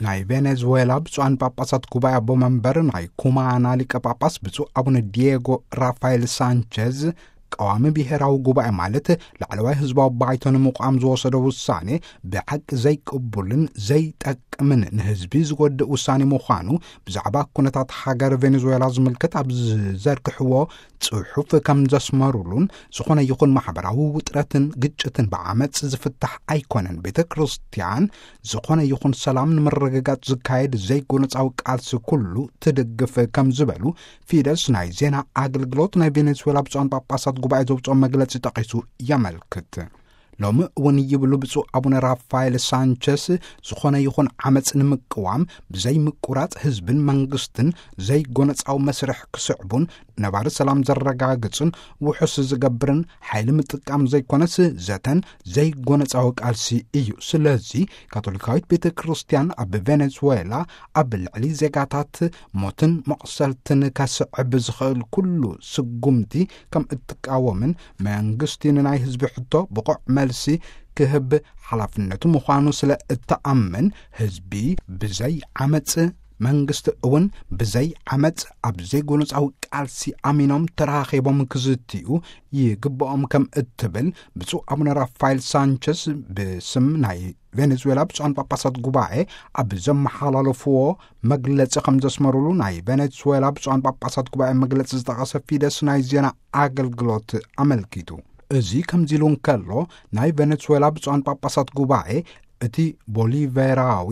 ናይ ቬኔዙዌላ ብፁዓን ጳጳሳት ጉባኤ ኣቦ መንበር ናይ ኩማና ሊቀ ጳጳስ ብፁዕ ኣቡነ ዲየጎ ራፋኤል ሳንቸዝ፣ ቀዋሚ ብሔራዊ ጉባኤ ማለት ላዕለዋይ ህዝባዊ ባይቶ ንምቋም ዝወሰዶ ውሳኔ ብሓቂ ዘይቅቡልን ዘይጠቅምን ንህዝቢ ዝጎድእ ውሳኔ ምዃኑ ብዛዕባ ኩነታት ሃገር ቬኔዙዌላ ዝምልከት ኣብ ዝዘርግሕዎ ጽሑፍ ከም ዘስመሩሉን፣ ዝኾነ ይኹን ማሕበራዊ ውጥረትን ግጭትን ብዓመጽ ዝፍታሕ ኣይኮነን። ቤተ ክርስቲያን ዝኾነ ይኹን ሰላም ንምርግጋጽ ዝካየድ ዘይጎነጻዊ ቃልሲ ኩሉ ትድግፍ ከም ዝበሉ ፊደስ ናይ ዜና ኣገልግሎት ናይ ቬኔዙዌላ ብፁዓን ጳጳሳት ጉባኤ ዘውፅኦ መግለጺ ጠቒሱ የመልክት። ሎሚ እውን ይብሉ ብፁዕ ኣቡነ ራፋኤል ሳንቸስ፣ ዝኾነ ይኹን ዓመፅ ንምቅዋም ብዘይምቁራፅ ህዝብን መንግስትን ዘይጎነፃዊ መስርሕ ክስዕቡን ነባሪ ሰላም ዘረጋግፅን ውሑስ ዝገብርን ሓይሊ ምጥቃም ዘይኮነስ ዘተን ዘይጎነፃዊ ቃልሲ እዩ። ስለዚ ካቶሊካዊት ቤተ ክርስቲያን ኣብ ቬኔዙዌላ ኣብ ልዕሊ ዜጋታት ሞትን መቑሰልትን ከስዕብ ዝኽእል ኩሉ ስጉምቲ ከም እትቃወምን መንግስቲ ንናይ ህዝቢ ሕቶ ብቑዕ መልሲ ክህብ ሓላፍነቱ ምዃኑ ስለ እተኣምን፣ ህዝቢ ብዘይ ዓመፅ መንግስቲ እውን ብዘይ ዓመፅ ኣብ ዘይጎነፃዊ ቃልሲ ኣሚኖም ተራኺቦም ክዝትዩ ይግብኦም ከም እትብል ብፁዕ ኣቡነ ራፋኤል ሳንቸስ ብስም ናይ ቬኔዙዌላ ብፁዓን ጳጳሳት ጉባኤ ኣብ ዘመሓላለፍዎ መግለጺ ከም ዘስመሩሉ ናይ ቬኔዙዌላ ብፁዓን ጳጳሳት ጉባኤ መግለጺ ዝጠቐሰ ፊደስ ናይ ዜና ኣገልግሎት ኣመልኪቱ። እዚ ከምዚ ኢሉ እንከሎ፣ ናይ ቬኔዙዌላ ብፁዓን ጳጳሳት ጉባኤ እቲ ቦሊቬራዊ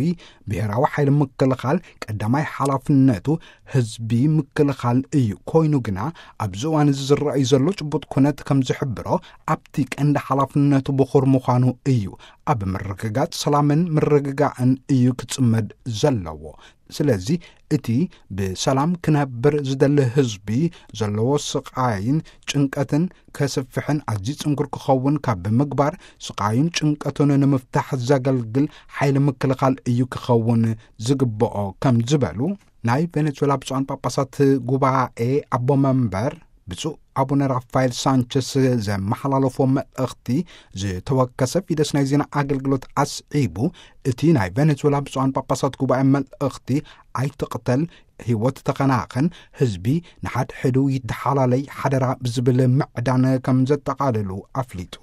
ብሔራዊ ሓይሊ ምክልኻል ቀዳማይ ሓላፍነቱ ህዝቢ ምክልኻል እዩ። ኮይኑ ግና ኣብዚ እዋን እዚ ዝረኣዩ ዘሎ ጭቡጥ ኩነት ከም ዝሕብሮ ኣብቲ ቀንዲ ሓላፍነቱ ብኹር ምዃኑ እዩ። ኣብ ምርግጋጽ ሰላምን ምርግጋእን እዩ ክጽመድ ዘለዎ። ስለዚ እቲ ብሰላም ክነብር ዝደሊ ህዝቢ ዘለዎ ስቓይን ጭንቀትን ከስፍሕን ኣዝዩ ጽንኩር ክኸውን ካብ ምግባር፣ ስቓዩን ጭንቀቱን ንምፍታሕ ዘገልግል ሓይሊ ምክልኻል እዩ ክኸውን ዝግብኦ ከም ዝበሉ ናይ ቬኔዙዌላ ብፁዓን ጳጳሳት ጉባኤ ኣቦ መንበር ብፁዕ ኣቡነ ራፋኤል ሳንቸስ ዘመሓላለፎ መልእኽቲ ዝተወከሰ ፊደስ ናይ ዜና ኣገልግሎት ኣስዒቡ፣ እቲ ናይ ቬኔዙዌላ ብፁዓን ጳጳሳት ጉባኤ መልእኽቲ ኣይትቕተል፣ ህይወት ተኸናኸን፣ ህዝቢ ንሓድሕዱ ይተሓላለይ ሓደራ ብዝብል ምዕዳን ከም ዘጠቓልሉ ኣፍሊጡ።